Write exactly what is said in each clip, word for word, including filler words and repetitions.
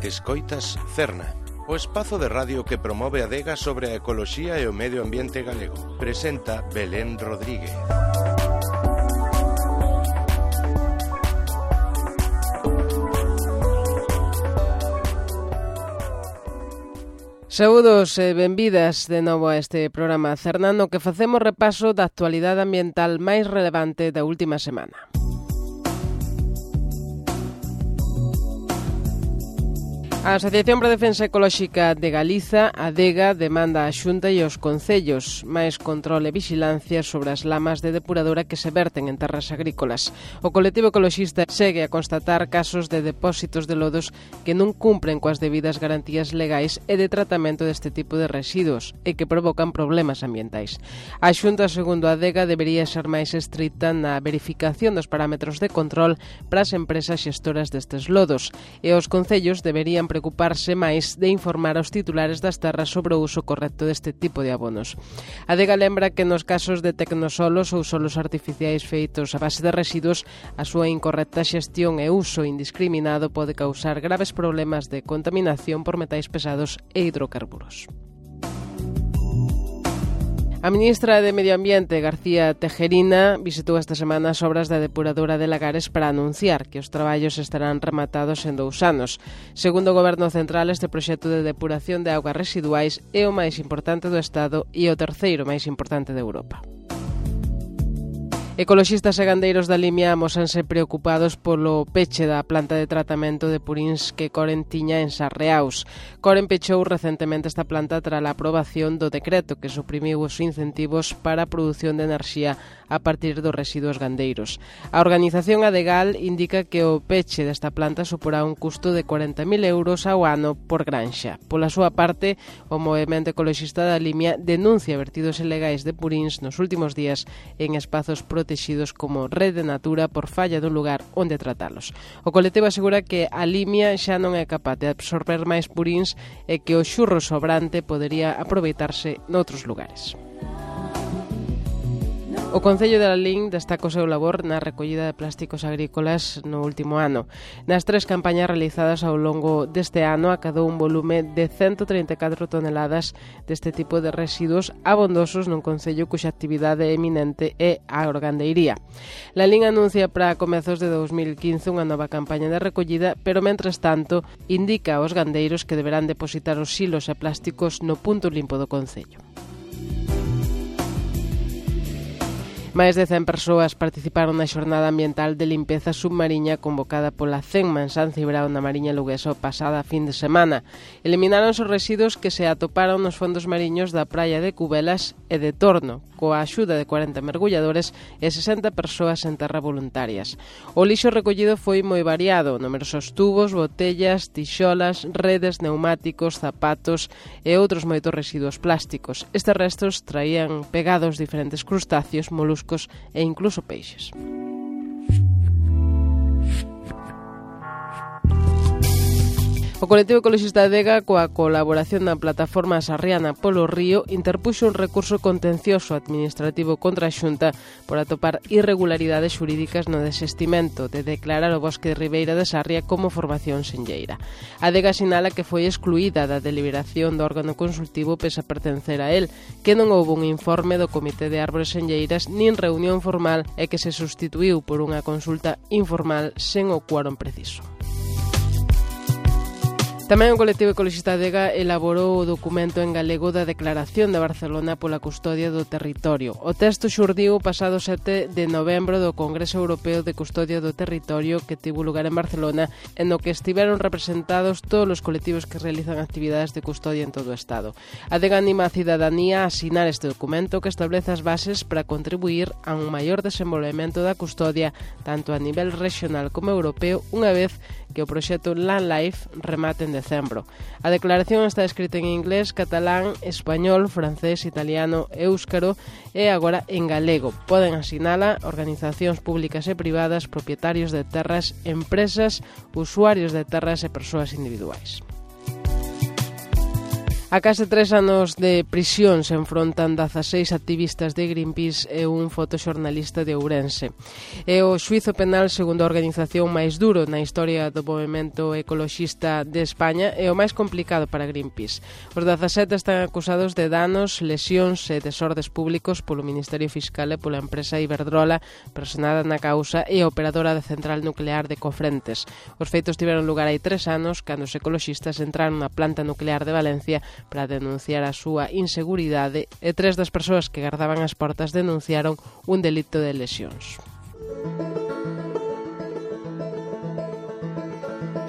Escoitas Cerna, o espazo de radio que promove a adega sobre a ecoloxía e o medio ambiente galego. Presenta Belén Rodríguez. Saúdos e benvidas de novo a este programa Cerna, no que facemos repaso da actualidade ambiental máis relevante da última semana. A Asociación para a Defensa Ecolóxica de Galiza, ADEGA, demanda a Xunta e aos concellos máis control e vixilancia sobre as lamas de depuradora que se verten en terras agrícolas. O colectivo ecoloxista segue a constatar casos de depósitos de lodos que non cumpren coas debidas garantías legais e de tratamento deste tipo de residuos e que provocan problemas ambientais. A Xunta, segundo a ADEGA, debería ser máis estricta na verificación dos parámetros de control para as empresas xestoras destes lodos e os concellos deberían preocuparse máis de informar aos titulares das terras sobre o uso correcto deste tipo de abonos. A ADEGA lembra que nos casos de tecnosolos ou solos artificiais feitos a base de residuos, a súa incorrecta xestión e uso indiscriminado pode causar graves problemas de contaminación por metais pesados e hidrocarburos. A ministra de Medio Ambiente, García Tejerina, visitou esta semana as obras da depuradora de Lagares para anunciar que os traballos estarán rematados en dous anos. Segundo o Goberno Central, este proxecto de depuración de augas residuais é o máis importante do Estado e o terceiro máis importante de Europa. Ecoloxistas e gandeiros da Limia amósanse preocupados polo peche da planta de tratamento de purins que Coren tiña en Sarreaus. Coren pechou recentemente esta planta tras a aprobación do decreto que suprimiu os incentivos para a produción de enerxía a partir dos residuos gandeiros. A organización Adegal indica que o peche desta planta suporá un custo de cuarenta mil euros ao ano por granxa. Pola súa parte, o movemento ecoloxista da Limia denuncia vertidos ilegais de purins nos últimos días en espazos protegidos protegidos como Rede Natura por falla dun lugar onde tratalos. O colectivo asegura que a Limia xa non é capaz de absorber máis purins e que o xurro sobrante podería aproveitarse noutros lugares. O Concello de Lalín destaca o seu labor na recollida de plásticos agrícolas no último ano. Nas tres campañas realizadas ao longo deste ano acadou un volume de ciento treinta e catro toneladas deste tipo de residuos abondosos nun concello cuxa actividade eminente é a organdeiría. Lalín anuncia para comezos de dos mil quince unha nova campaña de recollida, pero mentres tanto indica aos gandeiros que deberán depositar os silos e plásticos no punto limpo do concello. Máis de cen persoas participaron na xornada ambiental de limpeza submarina convocada pola CENMA en San Cibrao na Mariña Luguesa o pasada fin de semana. Eliminaron os residuos que se atoparon nos fondos mariños da praia de Cubelas e de Torno, coa axuda de cuarenta mergulladores e sesenta persoas en terra voluntarias. O lixo recollido foi moi variado, numerosos tubos, botellas, tixolas, redes, neumáticos, zapatos e outros moitos residuos plásticos. Estes restos traían pegados diferentes crustáceos, moluscos e incluso peixes. O colectivo ecoloxista ADEGA, coa colaboración da plataforma Sarriana polo Río, interpuxo un recurso contencioso administrativo contra a Xunta por atopar irregularidades xurídicas no desestimento de declarar o bosque de Ribeira de Sarria como formación senlleira. A ADEGA sinala que foi excluída da deliberación do órgano consultivo pese a pertencer a él, que non houve un informe do Comité de Árbores Senlleiras nin reunión formal e que se sustituiu por unha consulta informal sen o quórum preciso. Tamén o colectivo ecoloxista ADEGA elaborou o documento en galego da Declaración de Barcelona pola Custodia do Territorio. O texto xurdiu o pasado sete de novembro do Congreso Europeo de Custodia do Territorio que tivo lugar en Barcelona, en no que estiveron representados todos os colectivos que realizan actividades de custodia en todo o Estado. ADEGA anima a cidadanía a asinar este documento que establece as bases para contribuir a un maior desenvolvemento da custodia tanto a nivel regional como europeo unha vez que o proxecto Land Life remate en decembro. A declaración está escrita en inglés, catalán, español, francés, italiano e éuscaro e agora en galego. Poden asinala organizacións públicas e privadas, propietarios de terras, empresas, usuarios de terras e persoas individuais. A A case tres anos de prisión se enfrontan dezaseis activistas de Greenpeace e un fotoxornalista de Ourense. É o xuízo penal segundo a organización máis duro na historia do movemento ecoloxista de España e o máis complicado para Greenpeace. Os dezasete están acusados de danos, lesións e desordes públicos polo Ministerio Fiscal e pola empresa Iberdrola, personada na causa e operadora da central nuclear de Cofrentes. Os feitos tiveron lugar hai tres anos cando os ecoloxistas entraron na planta nuclear de Valencia para denunciar a súa inseguridade e tres das persoas que gardaban as portas denunciaron un delito de lesións.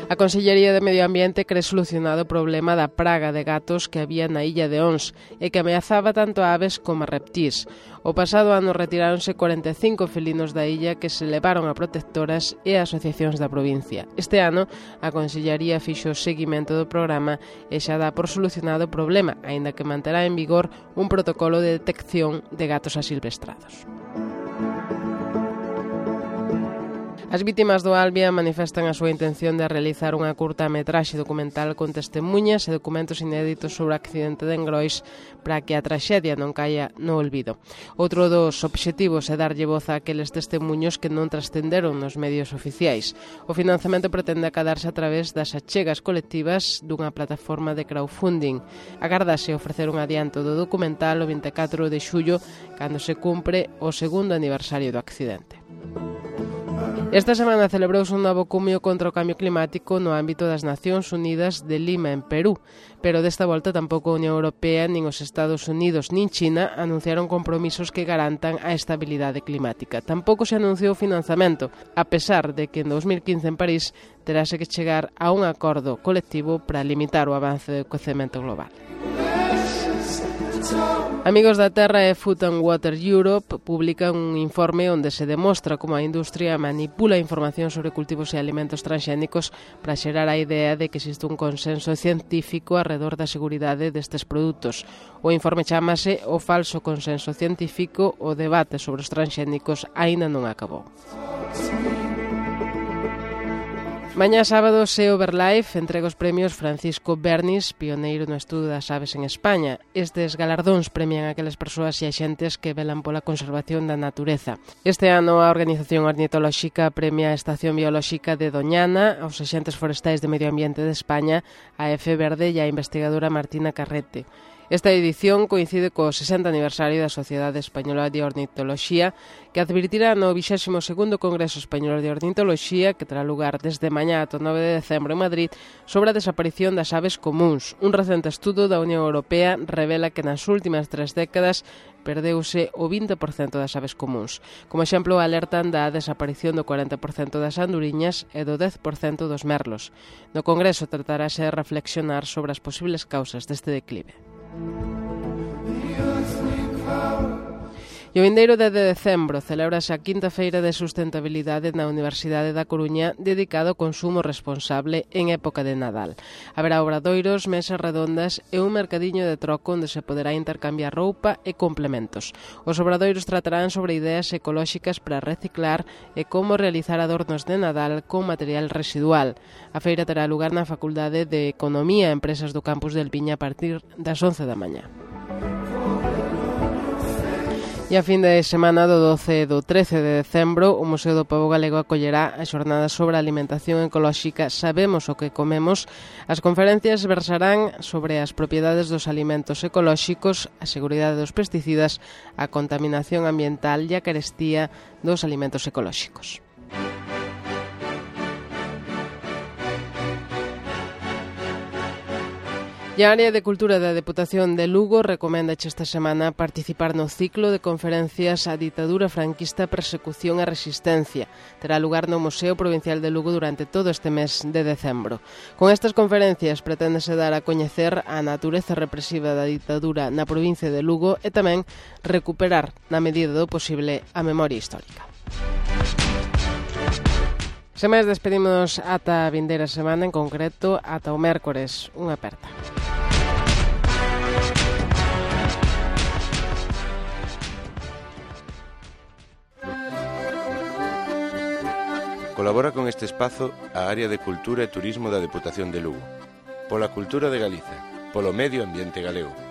A Consellería de Medio Ambiente cree solucionado o problema da praga de gatos que había na illa de Ons e que ameazaba tanto a aves como a reptís. O pasado ano retiráronse cuarenta e cinco felinos da illa que se levaron a protectoras e a asociacións da provincia. Este ano, a Consellería fixo o seguimento do programa e xa dá por solucionado o problema, aínda que manterá en vigor un protocolo de detección de gatos asilvestrados. As vítimas do Albia manifestan a súa intención de realizar unha curta-metraxe documental con testemunhas e documentos inéditos sobre o accidente de Engrois para que a traxedia non caia no olvido. Outro dos obxectivos é darlle voz a aqueles testemuños que non trascenderon nos medios oficiais. O financiamento pretende acadarse a través das achegas colectivas dunha plataforma de crowdfunding. Agardase ofrecer un adianto do documental o vinte e catro de xullo, cando se cumpre o segundo aniversario do accidente. Esta semana celebrouse un novo cumio contra o cambio climático no ámbito das Nacións Unidas de Lima, en Perú, pero desta volta tampouco a Unión Europea, nin os Estados Unidos, nin China anunciaron compromisos que garantan a estabilidade climática. Tampouco se anunciou financiamento, a pesar de que en dos mil quince en París terase que chegar a un acordo colectivo para limitar o avance do quecemento global. Amigos da Terra e Food and Water Europe publican un informe onde se demostra como a industria manipula información sobre cultivos e alimentos transxénicos para xerar a idea de que existe un consenso científico arredor da seguridade destes produtos. O informe chámase O falso consenso científico, o debate sobre os transxénicos aínda non acabou. Mañá sábado, SEO Verlife entrega os premios Francisco Bernis, pioneiro no estudo das aves en España. Estes galardóns premian aquelas persoas e axentes que velan pola conservación da natureza. Este ano, a Organización Ornitolóxica premia a Estación Biolóxica de Doñana, aos axentes forestais de Medio Ambiente de España, a Efe Verde e a investigadora Martina Carrete. Esta edición coincide co sesenta aniversario da Sociedade Española de Ornitoloxía, que advirtirá no vixésimo segundo Congreso Español de Ornitoloxía, que terá lugar desde mañá ata o nove de decembro en Madrid, sobre a desaparición das aves comúns. Un recente estudo da Unión Europea revela que nas últimas tres décadas perdeuse o vinte por cento das aves comúns. Como exemplo, alertan da desaparición do cuarenta por cento das anduriñas e do dez por cento dos merlos. No Congreso tratarase de reflexionar sobre as posibles causas deste declive. E o vindeiro dez de decembro celébrase a quinta feira de sustentabilidade na Universidade da Coruña dedicado ao consumo responsable en época de Nadal. Haberá obradoiros, mesas redondas e un mercadiño de troco onde se poderá intercambiar roupa e complementos. Os obradoiros tratarán sobre ideas ecolóxicas para reciclar e como realizar adornos de Nadal con material residual. A feira terá lugar na Facultade de Economía e Empresas do Campus del Piña a partir das once da mañá. E a fin de semana do doce e do trece de decembro, o Museo do Pobo Galego acollerá a xornada sobre a alimentación ecolóxica Sabemos o que comemos. As conferencias versarán sobre as propiedades dos alimentos ecolóxicos, a seguridade dos pesticidas, a contaminación ambiental e a carestía dos alimentos ecolóxicos. E a Área de Cultura da Deputación de Lugo recoméndache esta semana participar no ciclo de conferencias A ditadura franquista, persecución e resistencia. Terá lugar no Museo Provincial de Lugo durante todo este mes de decembro. Con estas conferencias preténdese dar a coñecer a natureza represiva da ditadura na provincia de Lugo e tamén recuperar, na medida do posible, a memoria histórica. Sen máis, despedimos ata a vindeira semana, en concreto ata o mércores. Unha aperta. Colabora con este espazo a Área de Cultura e Turismo da Deputación de Lugo. Pola cultura de Galiza, polo medio ambiente galego.